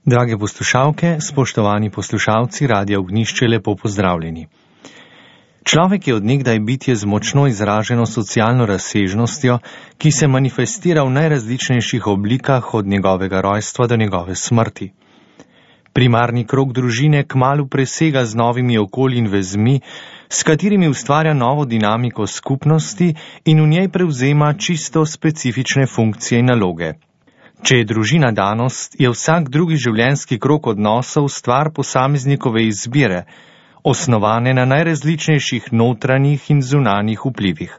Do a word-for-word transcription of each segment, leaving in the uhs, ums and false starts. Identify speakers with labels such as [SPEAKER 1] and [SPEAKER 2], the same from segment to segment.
[SPEAKER 1] Drage poslušalke, spoštovani poslušalci Radia Ognjišče, lepo pozdravljeni. Človek je od nekdaj bitje z močno izraženo socialno razsežnostjo, ki se manifestira v najrazličnejših oblikah od njegovega rojstva do njegove smrti. Primarni krog družine kmalu presega z novimi okolji in vezmi, s katerimi ustvarja novo dinamiko skupnosti in v njej prevzema čisto specifične funkcije in naloge. Če je družina danost, je vsak drugi življenjski krog odnosov stvar posameznikove izbire, osnovane na najrazličnejših notranjih in zunanjih vplivih.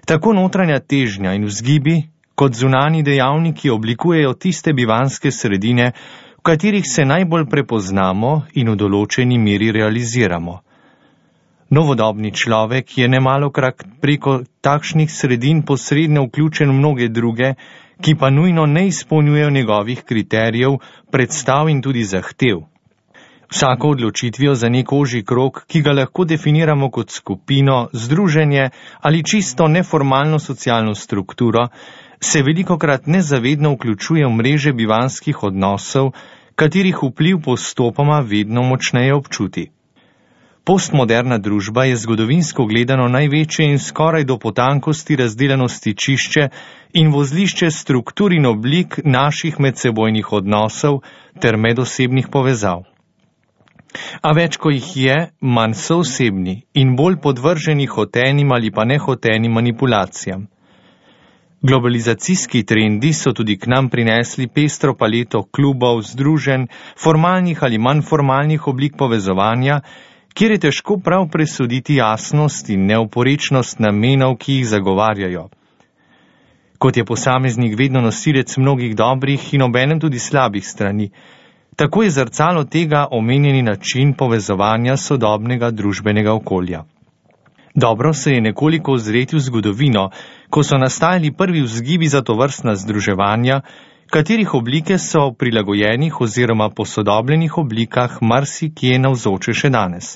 [SPEAKER 1] Tako notranja težnja in vzgibi, kot zunani dejavniki oblikujejo tiste bivanske sredine, v katerih se najbolj prepoznamo in v določeni meri realiziramo. Novodobni človek je nemalokrat preko takšnih sredin posredno vključen v mnoge druge, ki pa nujno ne izpolnjujejo njegovih kriterijev, predstav in tudi zahtev. Vsako odločitvijo za nek ožji krog, ki ga lahko definiramo kot skupino, združenje ali čisto neformalno socialno strukturo, se velikokrat nezavedno vključuje v mreže bivanskih odnosov, katerih vpliv postopoma vedno močneje občuti. Postmoderna družba je zgodovinsko gledano največje in skoraj do potankosti razdeljeno stičišče in vozlišče struktur in oblik naših medsebojnih odnosov ter medosebnih povezav. A več, ko jih je, manj so osebni in bolj podvrženi hotenim ali pa nehotenim manipulacijam. Globalizacijski trendi so tudi k nam prinesli pestro paleto klubov, združenj, formalnih ali manj formalnih oblik povezovanja, kjer je težko prav presoditi jasnost in neoporečnost namenov, ki jih zagovarjajo. Kot je posameznik vedno nosilec mnogih dobrih in obenem tudi slabih strani, tako je zrcalo tega omenjeni način povezovanja sodobnega družbenega okolja. Dobro se je nekoliko ozreti v zgodovino, ko so nastajali prvi vzgibi za tovrstna združevanja, katerih oblike so v prilagojenih oziroma posodobljenih oblikah marsikje navzoče še danes.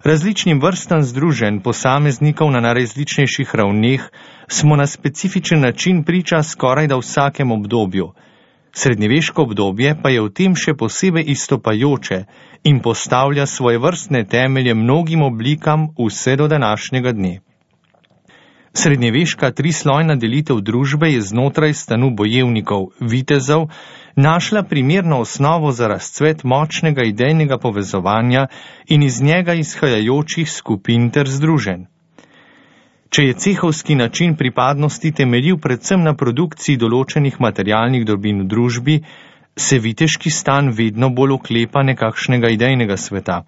[SPEAKER 1] Različnim vrstam združenj posameznikov na najrazličnejših ravneh smo na specifičen način priča skoraj da vsakem obdobju. Srednjeveško obdobje pa je v tem še posebej izstopajoče in postavlja svoje vrstne temelje mnogim oblikam vse do današnjega dne. Srednjeveška trislojna delitev družbe je znotraj stanu bojevnikov, vitezov, našla primerno osnovo za razcvet močnega idejnega povezovanja in iz njega izhajajočih skupin ter združenj. Če je cehovski način pripadnosti temeljil predvsem na produkciji določenih materialnih dobrin v družbi, se viteški stan vedno bolj oklepa nekakšnega idejnega sveta.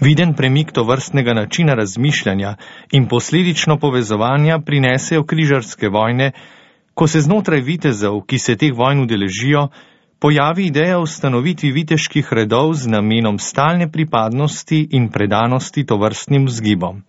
[SPEAKER 1] Viden premik tovrstnega načina razmišljanja in posledično povezovanja prinesejo križarske vojne, ko se znotraj vitezov, ki se teh vojn udeležijo, pojavi ideja o ustanovitvi viteških redov z namenom stalne pripadnosti in predanosti tovrstnim vzgibom.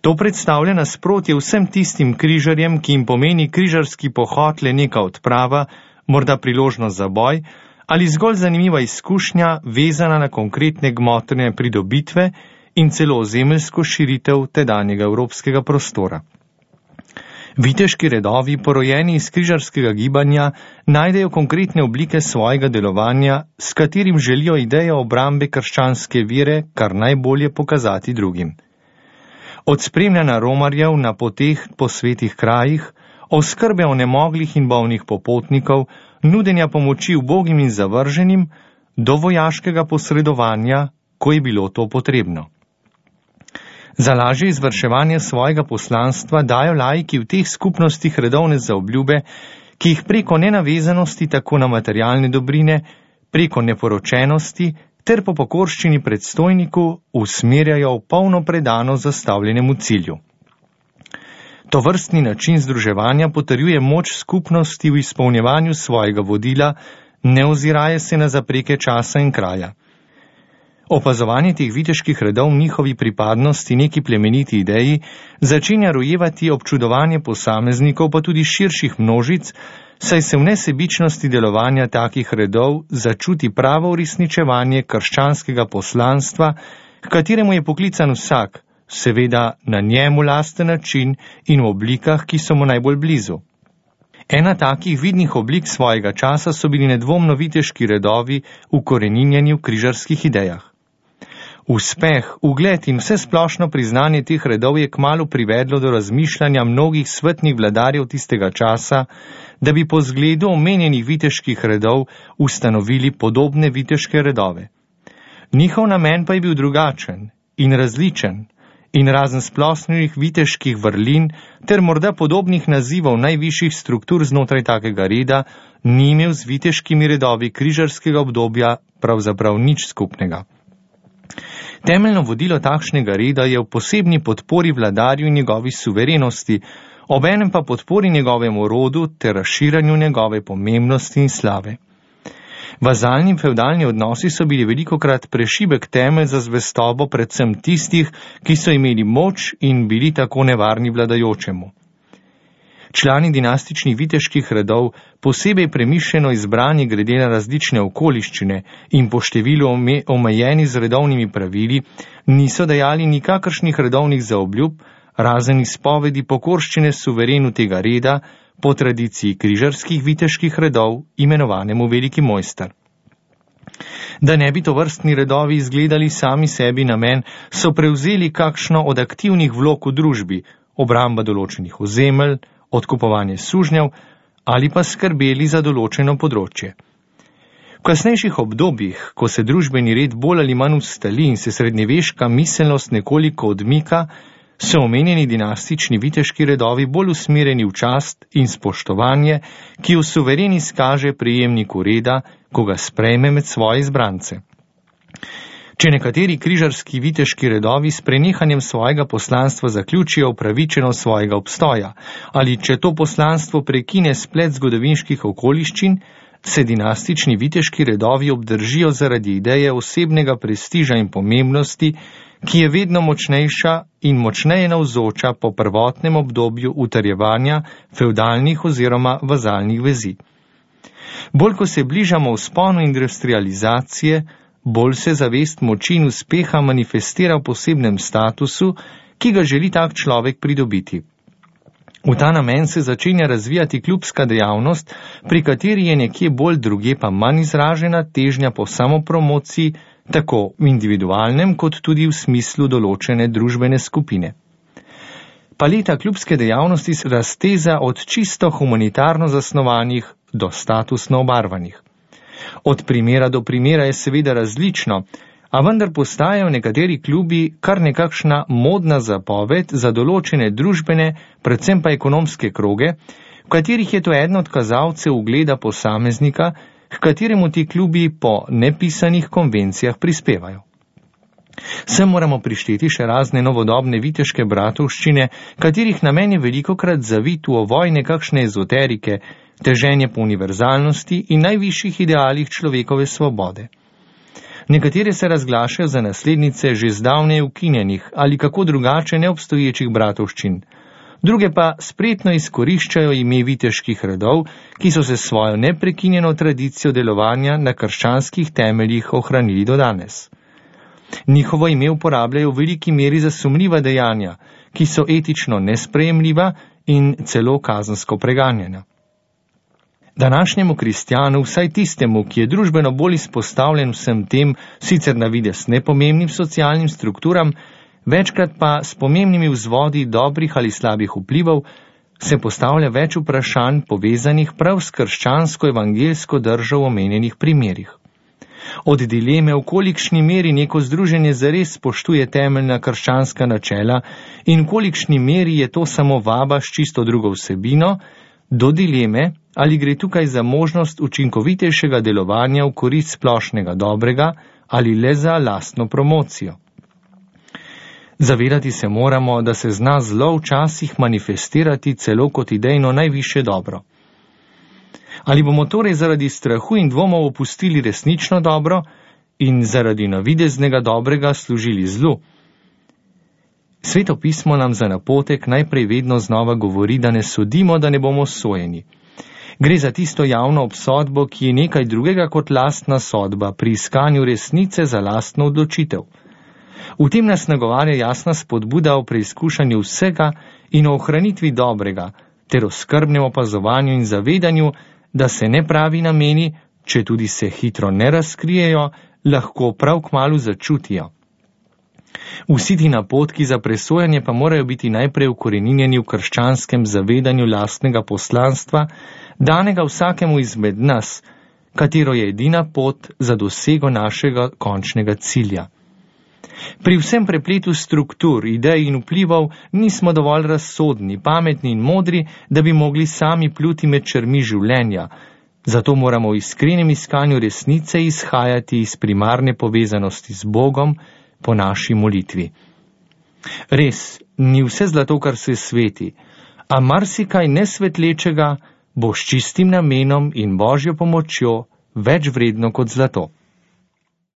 [SPEAKER 1] To predstavlja nasprotje vsem tistim križarjem, ki jim pomeni križarski pohod le neka odprava, morda priložnost za boj, ali zgolj zanimiva izkušnja, vezana na konkretne gmotne pridobitve in celo ozemeljsko širitev tedanjega evropskega prostora. Viteški redovi, porojeni iz križarskega gibanja, najdejo konkretne oblike svojega delovanja, s katerim želijo idejo obrambe krščanske vere kar najbolje pokazati drugim. Od spremljanja romarjev na poteh po svetih krajih, oskrbe onemoglih in bolnih popotnikov, nudenja pomoči ubogim in zavrženim, do vojaškega posredovanja, ko je bilo to potrebno. Za lažje izvrševanje svojega poslanstva dajo laiki v teh skupnostih redovne zaobljube, ki jih preko nenavezanosti tako na materialne dobrine, preko neporočenosti ter po pokorščini predstojniku usmerjajo v polno predano zastavljenemu cilju. Tovrstni način združevanja potrjuje moč skupnosti v izpolnjevanju svojega vodila, ne oziraje se na zapreke časa in kraja. Opazovanje teh viteških redov v njihovi pripadnosti neki plemeniti ideji začenja rojevati občudovanje posameznikov, pa tudi širših množic, saj se v nesebičnosti delovanja takih redov začuti pravo uresničevanje krščanskega poslanstva, k kateremu je poklican vsak, seveda na njemu lasten način in v oblikah, ki so mu najbolj blizu. Ena takih vidnih oblik svojega časa so bili nedvomno viteški redovi ukoreninjeni v križarskih idejah. Uspeh, ugled in vse splošno priznanje teh redov je kmalu privedlo do razmišljanja mnogih svetnih vladarjev tistega časa, da bi po zgledu omenjenih viteških redov ustanovili podobne viteške redove. Njihov namen pa je bil drugačen in različen in razen splošnih viteških vrlin ter morda podobnih nazivov najvišjih struktur znotraj takega reda ni imel z viteškimi redovi križarskega obdobja pravzaprav nič skupnega. Temeljno vodilo takšnega reda je v posebni podpori vladarju in njegovi suverenosti, obenem pa podpori njegovemu rodu ter razširanju njegove pomembnosti in slave. Vazalni in fevdalni odnosi so bili velikokrat prešibek temelj za zvestobo predvsem tistih, ki so imeli moč in bili tako nevarni vladajočemu. Člani dinastičnih viteških redov, posebej premišljeno izbrani glede na različne okoliščine in po številu omejeni z redovnimi pravili, niso dajali nikakršnih redovnih zaobljub, razen izpovedi pokorščine suverenu tega reda, po tradiciji križarskih viteških redov, imenovanemu veliki mojster. Da ne bi tovrstni redovi izgledali sami sebi namen, so prevzeli kakšno od aktivnih vlog v družbi, obramba določenih ozemelj, odkupovanje sužnjev ali pa skrbeli za določeno področje. V kasnejših obdobjih, ko se družbeni red bolj ali manj ustali in se srednjeveška miselnost nekoliko odmika, so omenjeni dinastični viteški redovi bolj usmerjeni v čast in spoštovanje, ki v suvereni skaže prejemniku reda, ko ga sprejme med svoje izbrance. Če nekateri križarski viteški redovi s prenehanjem svojega poslanstva zaključijo upravičenost svojega obstoja, ali če to poslanstvo prekine splet zgodovinskih okoliščin, se dinastični viteški redovi obdržijo zaradi ideje osebnega prestiža in pomembnosti, ki je vedno močnejša in močneje navzoča po prvotnem obdobju utrjevanja fevdalnih oziroma vazalnih vezi. Bolj ko se bližamo vzponu industrializacije, bolj se zavest moči in uspeha manifestira v posebnem statusu, ki ga želi tak človek pridobiti. V ta namen se začenja razvijati klubska dejavnost, pri kateri je nekje bolj druge pa manj izražena težnja po samopromociji, tako v individualnem kot tudi v smislu določene družbene skupine. Paleta klubske dejavnosti se razteza od čisto humanitarno zasnovanih do statusno obarvanih. Od primera do primera je seveda različno, a vendar postajajo nekateri klubi kar nekakšna modna zapoved za določene družbene, predvsem pa ekonomske kroge, v katerih je to eden od kazalcev ugleda posameznika, k kateremu ti klubi po nepisanih konvencijah prispevajo. Sem moramo prišteti še razne novodobne viteške bratovščine, katerih namen je velikokrat zavit v ovoj nekakšne ezoterike, teženje po univerzalnosti in najvišjih idealih človekove svobode. Nekatere se razglašajo za naslednice že zdavnaj ukinjenih ali kako drugače neobstoječih bratovščin, druge pa spretno izkoriščajo ime viteških redov, ki so se svojo neprekinjeno tradicijo delovanja na krščanskih temeljih ohranili do danes. Njihovo ime uporabljajo v veliki meri za sumljiva dejanja, ki so etično nesprejemljiva in celo kazensko preganjena. Današnjemu kristjanu, vsaj tistemu, ki je družbeno bolj izpostavljen vsem tem, sicer na videz nepomembnim socialnim strukturam, večkrat pa s pomembnimi vzvodi dobrih ali slabih vplivov, se postavlja več vprašanj povezanih prav s krščansko evangeljsko držo v omenjenih primerih. Od dileme, v kolikšni meri neko združenje zares spoštuje temeljna krščanska načela in v kolikšni meri je to samo vaba s čisto drugo vsebino, do dileme, ali gre tukaj za možnost učinkovitejšega delovanja v korist splošnega dobrega ali le za lastno promocijo. Zavedati se moramo, da se zna zlo včasih manifestirati celo kot idejno najvišje dobro. Ali bomo torej zaradi strahu in dvomov opustili resnično dobro in zaradi navideznega dobrega služili zlu? Sveto pismo nam za napotek najprej vedno znova govori, da ne sodimo, da ne bomo sojeni. Gre za tisto javno obsodbo, ki je nekaj drugega kot lastna sodba pri iskanju resnice za lastno odločitev. V tem nas nagovarja jasna spodbuda o preizkušanju vsega in o ohranitvi dobrega, ter o skrbnem opazovanju in zavedanju, da se nepravi nameni, če tudi se hitro ne razkrijejo, lahko prav kmalu začutijo. Vsi ti napotki za presojanje pa morajo biti najprej ukoreninjeni v krščanskem zavedanju lastnega poslanstva, danega vsakemu izmed nas, katero je edina pot za dosego našega končnega cilja. Pri vsem prepletu struktur, idej in vplivov nismo dovolj razsodni, pametni in modri, da bi mogli sami pluti med črmi življenja. Zato moramo v iskrenem iskanju resnice izhajati iz primarne povezanosti z Bogom po naši molitvi. Res, ni vse zlato, kar se sveti, a marsikaj nesvetlečega bo s čistim namenom in Božjo pomočjo več vredno kot zlato.